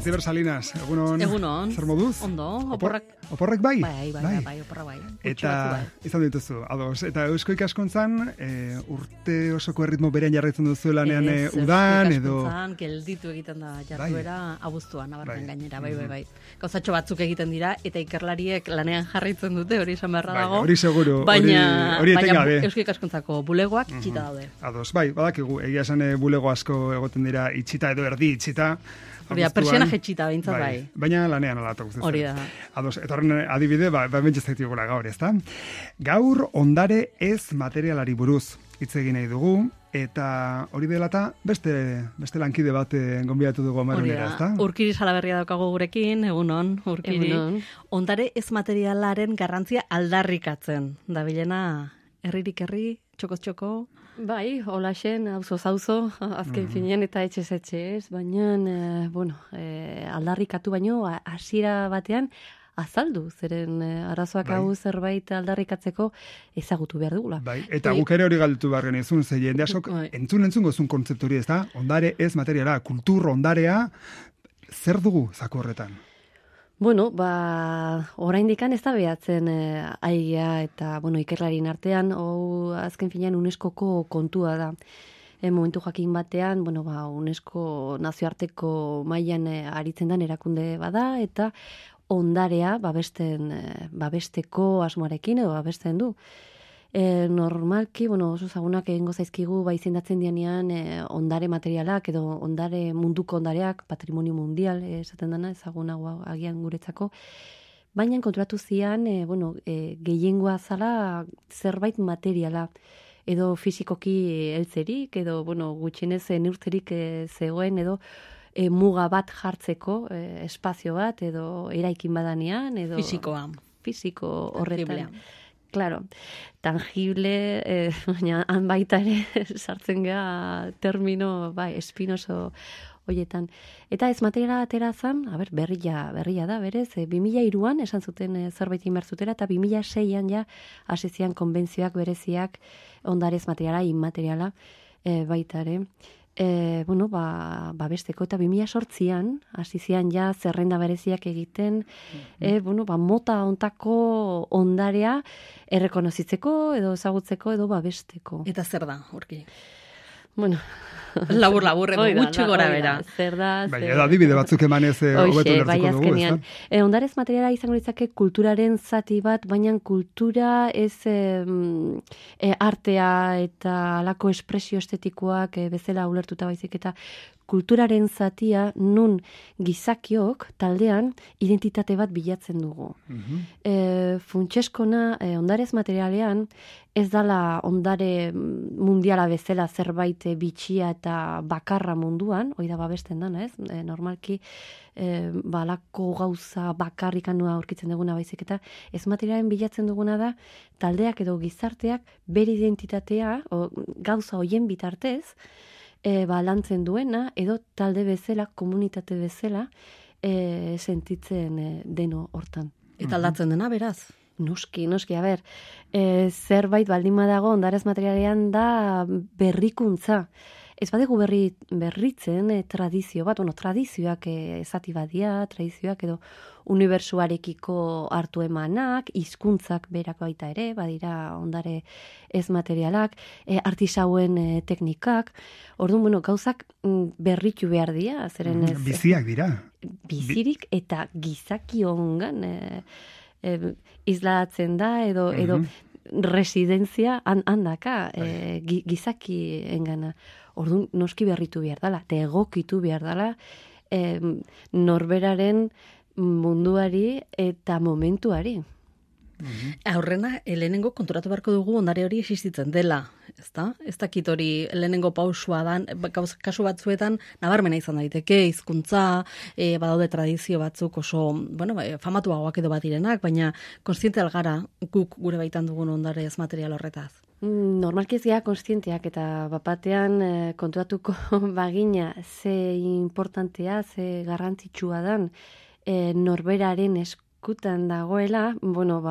Aitziber Salinas, egunon. Egunon. Zer moduz? Ondo, Oporrak bai? Bai, oporrak bai. Eta izan dituzu, ados. Eta Eusko Ikaskuntzan, urte osoko erritmo berean jarraitzen duzu lanean udan, edo... Ikaskuntzan, gelditu egiten da jarduera abuztuan, abarren gainera, bai. Gauzatxo batzuk egiten dira, eta ikerlariek lanean jarraitzen dute, hori esan beharra dago. Hori seguru, baina etengabe. Eusko Ikaskuntzako bulegoak itxita daude. Ados, bai, badakigu, egia esan bulego asko egoten dira itxita edo erdi itxita. Hori da, persiana jetxita, behintzat bai. Baina lanean alatok guztetzen. Hori da. Ados, eta horren adibide, bentsezaitik gula gaur, ezta? Gaur ondare ez materialari buruz hitz egin nahi dugu, eta hori dela eta beste lankide bat gonbidatu dugu amarunera, ezta? Urkiri Salaberria daukago gurekin, egunon, Urkiri. Egunon. Ondare ez materialaren garrantzia aldarrikatzen. Da bilena, herririk herri, txokoz txoko. Bai, holaxen, auzo, azken finean eta etxez, baina, aldarrikatu baino, hasiera batean, azaldu, zeren arazoak hau zerbait aldarrikatzeko ezagutu behar dugula. Bai, eta guk ere hori galdetu behar genizun, ze jende asok entzun gozun kontzeptu hori, ez da? Ondare ez materiala, kultur ondarea, zer dugu zaku horretan? Bueno, oraindikan ez da behatzen aigia eta, ikerlarien artean, azken finean UNESCOko kontua da. Momentu jakin batean, UNESCO nazioarteko mailan aritzen den erakunde bada, eta ondarea babesteko asmoarekin edo babesten du. Normalki, oso zagunak egingo zaizkigu izendatzen dianean ondare materialak edo ondare munduko ondareak, patrimonio mundial, esaten dena, ezagunago agian guretzako. Baina konturatu zian, gehiengoa zala zerbait materiala, edo fisikoki heltzerik, edo gutxienez neurtzerik zegoen, edo muga bat jartzeko, espazio bat, edo eraikin badanean, edo... Fisiko horretan. Claro, tangible, baina han baita ere sartzen ga termino, espinoso hoietan. Eta ez materiala atera zan, berria da, berez, 2003an esan zuten zerbait inbertzutera, eta 2006an ja hasizian konbentzioak bereziak ondarez materiala, inmateriala baita ere. Babesteko eta 2008an hasizian ja zerrenda bereziak egiten, mota ontako ondarea errekonozitzeko edo ezagutzeko edo babesteko. Eta zer da, Urki? Labur, edo gutxi gora bera. Zer da, edo adibide batzuk emanez hobeto lertuko dugu, ez da? Ondarez materiala izango litzake kulturaren zati bat, baina kultura ez artea eta alako espresio estetikoak bezala ulertuta baizik, eta kulturaren zatia nun gizakiok taldean identitate bat bilatzen dugu. Funtseskona ondarez materialean ez dala ondare mundiala bezala zerbait bitxia eta bakarra munduan, hori da babesten dana, ez? Normalki balako gauza bakarrikanua aurkitzen duguna baizik, eta ez materialen bilatzen duguna da taldeak edo gizarteak bere identitatea gauza hoien bitartez lantzen duena, edo talde bezala, komunitate bezala, sentitzen deno hortan. Eta aldatzen dena, beraz? Noski, zerbait baldin badago ondarez materialean da berrikuntza. Ez badegu berritzen tradizio bat, tradizioak ezati badia, tradizioak edo unibertsuarekiko hartu emanak, hizkuntzak berak baita ere, badira ondare ez materialak, artisauen teknikak, orduan, gauzak berritu behar dira, zeren ez... Biziak dira. Bizirik eta gizaki ongan islatzen da, edo residentzia handaka gizaki engana. Orduan, noski berritu behar dela, eta egokitu behar dela norberaren munduari eta momentuari. Aurrena, lehenengo konturatu beharko dugu ondare hori existitzen dela, ezta? Ez dakit hori lehenengo pausua da, kasu batzuetan nabarmena izan daiteke, hizkuntza, badaude tradizio batzuk oso, famatuagoak edo bat direnak, baina kontziente algara guk gure baitan dugun ondare ez material horretaz. Normalki ez gara konstienteak eta bapatean konturatuko bagina ze importantea, ze garrantzitsua dan norberaren eskutan dagoela, bueno,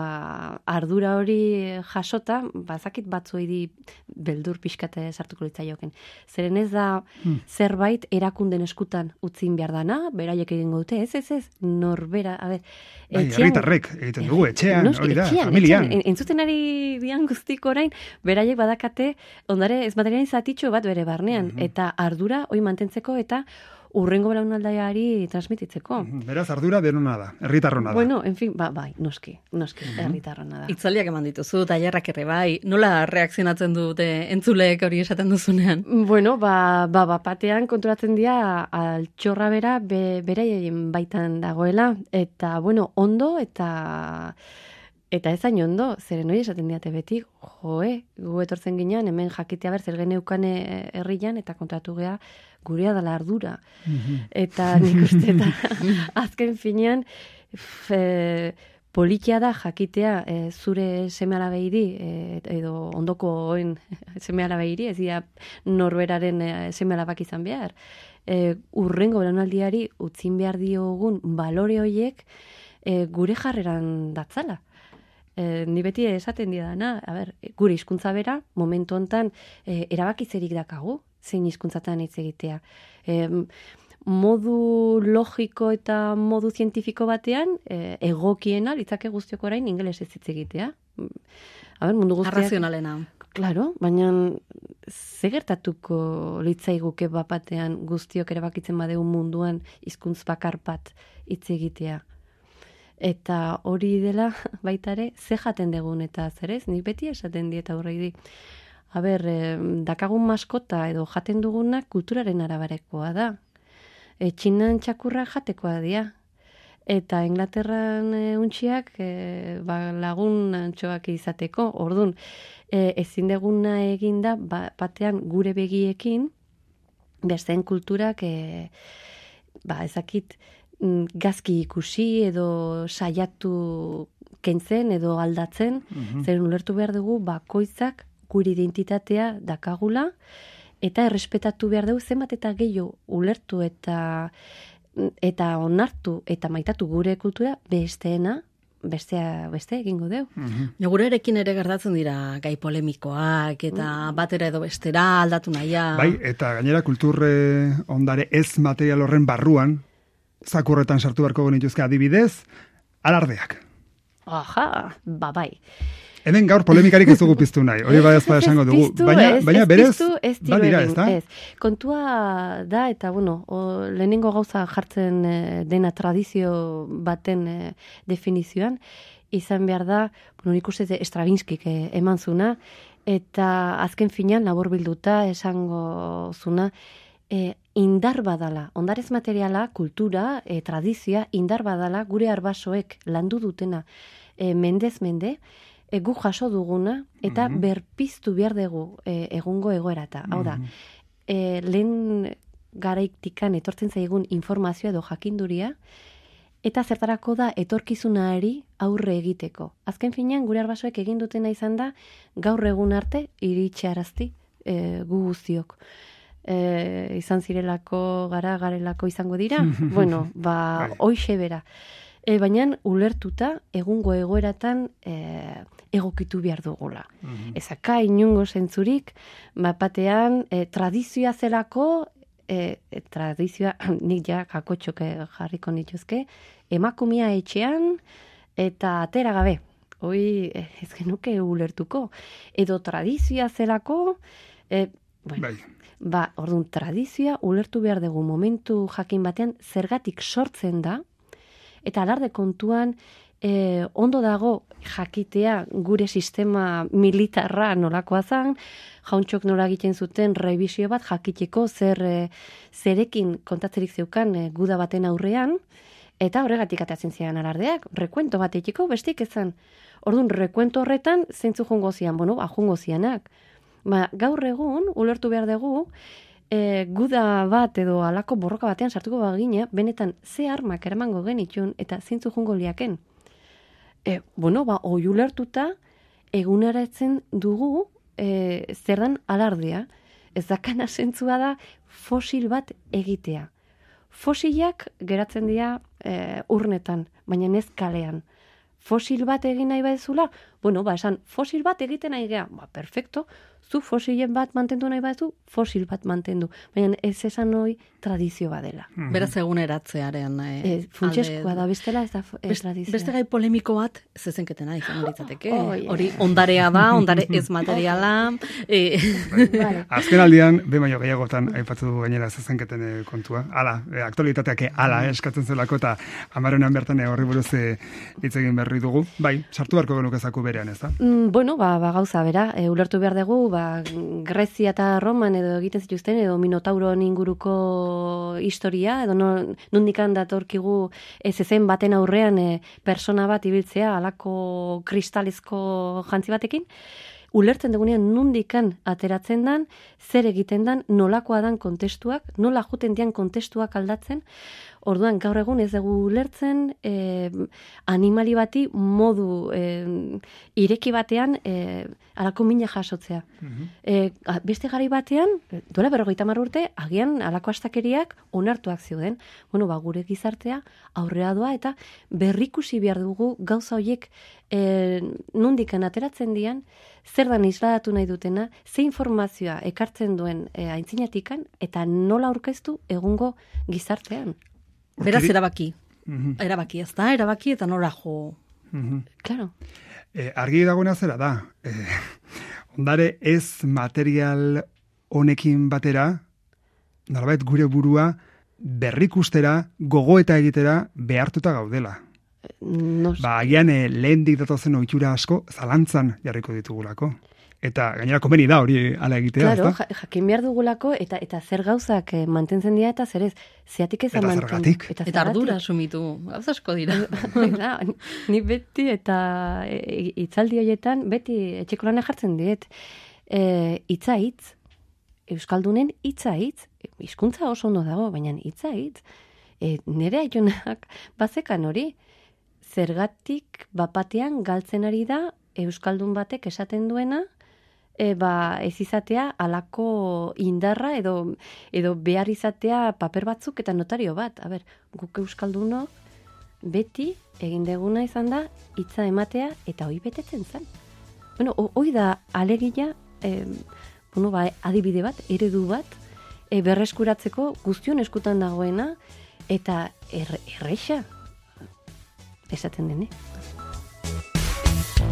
ardura hori jasota, bazakit batzuei di beldur pixkate sartuko litzaioken. Zeren ez da zerbait erakunden eskutan utzin behar dana, beraiek egingo dute, ez, norbera, a ber, herritarrek egiten dugu, etxean, hori da, familian. Entzuten ari dian guztiko orain, beraiek badakate, ondare ez materialin zatitxo bat bere barnean, eta ardura hori mantentzeko eta urrengo belaunaldiari transmititzeko. Beraz, ardura denona da, herritarrona da. Bueno, en fin, bai, noski, herritarrona da. Itzaliak eman dituzu, tailerrak ere bai, nola reakzionatzen dute entzuleek hori esaten duzunean? Bueno, batean konturatzen dira altxorra bera beraien baitan dagoela, eta, bueno, ondo, eta ez hain ondo, zeren hori esaten diate beti, gu etortzen ginean, hemen jakitea zer geneukane herrian, eta kontratu gea, gurea dela ardura. Eta nik uste eta azken finean, politia da jakitea zure seme-alabeiri, edo ondoko oen seme-alabeiri, ez dira norberaren seme-alabak izan behar. Urrengo belaunaldiari utzin behar diogun balore horiek gure jarreran datzala. Ni beti esaten didana, gure hizkuntza bera, momentu hontan erabakitzerik dakagu, zein hizkuntzatan hitz egitea. Modu logiko eta modu zientifiko batean, egokiena, litzake guztiok orain, ingelesez hitz egitea. Mundu guztiak... Arrazionalena. Claro, baina ze gertatuko litzaiguke bapatean guztiok erabakitzen badeu munduan hizkuntz bakar bat hitz egitea. Eta hori dela baitare, ze jaten degun eta zerez, nik beti esaten dieta aurrei di. Dakagun maskota edo jaten duguna kulturaren arabarekoa da. Txinan txakurra jatekoa dira. Eta Inglaterran untxiak lagun antxoak izateko. Ordun, ezin deguna eginda batean gure begiekin, besteen kulturak, ezakit, gazki ikusi edo saiatu kentzen edo aldatzen, zeren ulertu behar dugu bakoitzak gure identitatea dakagula, eta errespetatu behar dugu zenbat eta gehiago ulertu eta onartu eta maitatu gure kultura beste egingo deu. Gurerekin ere gertatzen dira gai polemikoak eta batera edo bestera aldatu nahia. Bai, eta gainera kulturre ondare ez material horren barruan, zakurretan sartu beharko genituzke adibidez, alardeak. Aha, bai. Hemen gaur polemikarik ez dugu piztu nahi, hori bai ezpada esango dugu. Baina berez, badira, ez da? Kontua da, eta lehenengo gauza jartzen dena tradizio baten definizioan, izan behar da, nik uste Stravinskik eman zuna, eta azken finean labor bilduta esango zuna, indar badala, ondarez materiala, kultura, tradizioa, indar badala, gure arbasoek landu dutena mendez mende, gu jaso duguna, eta berpiztu behar dugu egungo egoerata. Hau da, lehen garaiktikan etortzen zaigun informazioa edo jakinduria, eta zertarako da etorkizunari aurre egiteko. Azken finean, gure arbasoek egin dutena izan da, gaur egun arte iritsarazti gu guztiok. Izan zirelako garelako izango dira, hoixe bera. Baina ulertuta egungo egoeratan egokitu behar dugula. Ezaka inungo zentzurik, batean tradizioa zelako, tradizioa nik ja kakotxok jarriko nituzke, emakumea etxean eta atera gabe. Hoi ez genuke ulertuko. Edo tradizioa zelako, orduan tradizioa ulertu behar dugu momentu jakin batean zergatik sortzen da, eta alarde kontuan ondo dago jakitea gure sistema militarra nolakoa zan, jauntxok nola egiten zuten revisio bat jakiteko zerekin kontatzerik zeukan guda baten aurrean, eta horregatik atatzen zian alardeak, rekuento bat egiteko bestik ezan. Orduan, rekuento horretan zeintzu jongo zian, jongo zianak. Gaur egun, ulertu behar dugu, guda bat edo alako borroka batean sartuko bagina, benetan ze armak eramango genitxun eta zeintzu jongo liaken. Hoi ulertuta, eguneratzen dugu zer dan alardea, ez dakana zentzua da fosil bat egitea. Fosilak geratzen dira urnetan, baina ez kalean. Fosil bat egin nahi badezula, bueno, esan, fosil bat egiten nahi gea, perfecto, zu fosilen bat mantendu nahi badezu, fosil bat mantendu. Baina ez esan hori tradizio badela. Beraz eguneratzearen funtsezkoa da, bestela ez da tradizioa. Beste gai polemiko bat, zezenketena izan litzateke. Hori ondarea da, ondare ez materiala. Azken aldian, baino gehiagotan aipatu du gainera zezenketen kontua. Hala, aktualitateak hala eskatzen zelako eta 10ean bertan horri buruz hitz egin berri dugu. Bai, sartu beharko genukezaku berean, ez da? Bueno, gauza bera, ulertu behar dugu, Grezia eta Roman edo egiten zituzten, edo Minotauron inguruko historia, edo nondikan datorkigu zezen baten aurrean persona bat ibiltzea, alako kristalezko jantzi batekin, ulertzen dugunean nondikan ateratzen dan, zer egiten dan, nolakoa dan kontestuak, nola juten dian kontestuak aldatzen. Orduan, gaur egun ez dugu ulertzen animali bati modu ireki batean alako mina jasotzea. Beste gari batean, duela 50 urte, agian alako astakeriak onartuak zeuden. Bueno, gure gizartea aurrera doa eta berrikusi behar dugu gauza horiek nondikan ateratzen dian, zer dan isladatu nahi dutena, ze informazioa ekartzen duen aintzinatikan eta nola aurkeztu egungo gizartean. Beraz, erabaki. Erabaki, ez da? Erabaki eta nora jo. Claro. Argi dagoena zera da. Ondare ez material honekin batera, nolabait gure burua berrikustera, gogoeta egitera behartuta gaudela. Agian lehendik datozen ohitura asko zalantzan jarriko ditugulako. Eta gainera komeni da hori ala egitea, claro, jakin behar dugulako eta zer gauzak mantentzen dira eta zer ez, zeatik ez mantentzen. Eta ardura sumitu, gauza asko dira. Ni beti eta hitzaldi horietan, beti etxeko lanak jartzen diet, hitza hitz, Euskaldunen hitza hitz, hizkuntza oso ondo dago, baina hitza hitz, nire aionak bazekan hori, zergatik bapatean galtzen ari da Euskaldun batek esaten duena, ez izatea alako indarra edo behar izatea paper batzuk eta notario bat. Guk Euskalduno beti egin deguna izan da hitza ematea eta hori betetzen zen. Bueno, hori da alegia, adibide bat, eredu bat, berreskuratzeko guztion eskutan dagoena eta erreixa esaten dene.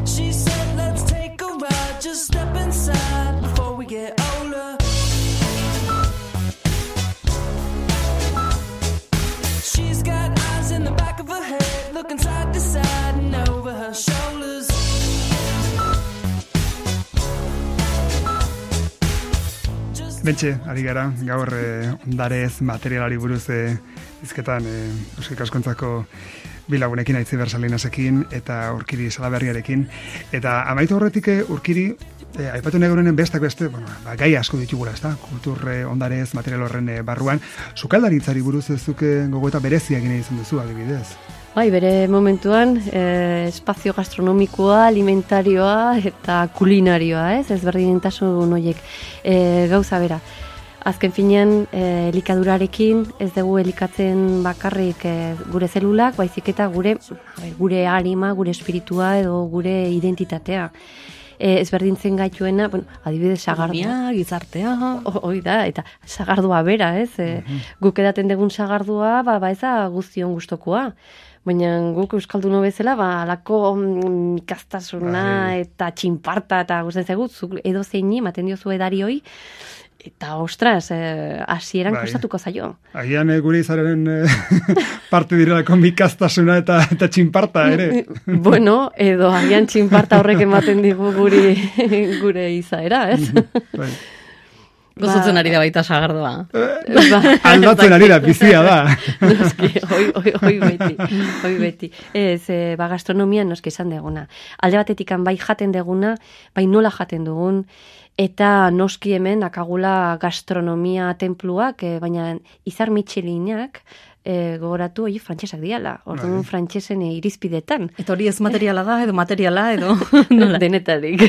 She said, let's take a ride, just step inside before we get older. She's got eyes in the back of her head, looking side to side and over her shoulders. Bentxe, ari gara, gaur ondarez materialari buruz izketan Euskal Kaskontzako bilagunekin, Aitzi Bersalinasekin eta Urkiri Salaberriarekin. Eta amaitu horretik Urkiri, aipatu nahi bestak beste, gai asko ditugula, ez da? Kultur ondarez, material horren barruan. Sukaldaritzari buruz ez duke gogoeta bereziak gine izan duzu, adibidez. Bai, bere momentuan, espazio gastronomikoa, alimentarioa eta kulinarioa, ez berdintasun horiek gauza bera. Azken finean, elikadurarekin ez dugu elikatzen bakarrik gure zelulak, baizik eta gure arima, gure espiritua edo gure identitatea. Ezberdintzen gaituena, adibidez sagardua. Gizartea. Hoi da, eta sagardua bera, ez? Guk edaten dugun sagardua, ez da guztion gustokoa. Baina guk Euskalduno bezala, alako ikastasuna eta txinparta eta guztien zegut, edo zeini, ematen diozu edari hoi, eta ostras, hasieran kostatuko zaio. Agian gure izaren parte direlako mikastasuna eta txinparta ere. Bueno, edo agian txinparta horrek ematen digu gure izaera, ez? Gozotzen ari da baita sagardoa. Aldatzen ari da, bizia da. Noski, hoi beti. Ez, gastronomian noski esan deguna. Alde batetik bai jaten deguna, bai nola jaten dugun, eta noski hemen akagula gastronomia tenpluak, baina izar Michelinak gogoratu, frantsesak diala, orduan frantsesen irizpidetan. Eta hori ez materiala da, edo materiala, edo... Denetarik.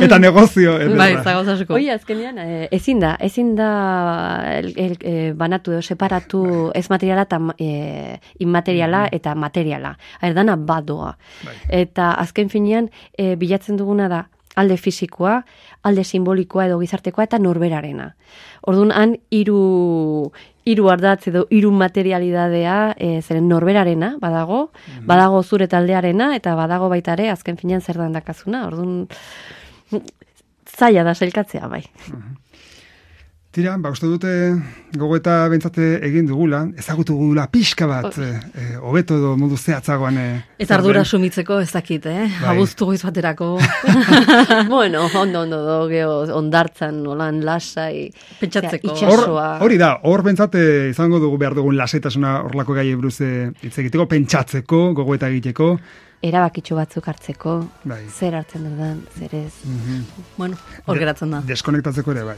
Eta negozio. Bai, zagoz asko. Hoi, azkenean, ezin da banatu edo separatu ez materiala eta inmateriala eta materiala. Dana badoa. Eta azken finean, bilatzen duguna da, alde fisikoa, alde simbolikoa edo gizartekoa eta norberarena. Orduan, han hiru ardatz edo hiru materialidadea zeren norberarena badago, badago zure taldearena eta badago baita ere azken finean zer dan dakazuna. Orduan, zaila da sailkatzea bai. Tira, uste dute gogoeta bentsate egin dugula, ezagutu dugula pixka bat, hobeto edo modu zehatzagoan. Eta ardura sumitzeko ez dakit, abuztu goiz baterako. Bueno, ondo, ondartzan, nolan, lasai, pentsatzeko. Itxasoa. Hori da, hor bentsate izango dugu behar dugun lasaitasuna horlako gai buruz hitz egiteko, pentsatzeko, gogoeta egiteko. Erabakitxo batzuk hartzeko, zer hartzen dudan, zer ez. Bueno, hor geratzen da. Deskonektatzeko ere bai,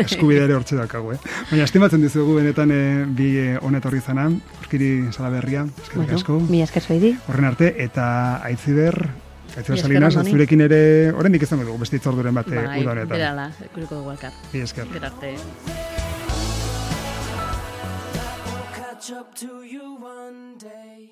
eskubidea ere hortxe dakago, Baina estimatzen dizugu benetan bi honetorri zana, Urkiri Salaberria, eskerrik asko. Mi esker zoidi. Horren arte, eta Aitziber Salinas, zurekin ere, oraindik izango dugu, beste itzorduren bat uda honetan. Bai, berala, kuriko dugu elkar. Mi esker. Berarte. Catch up to you one day.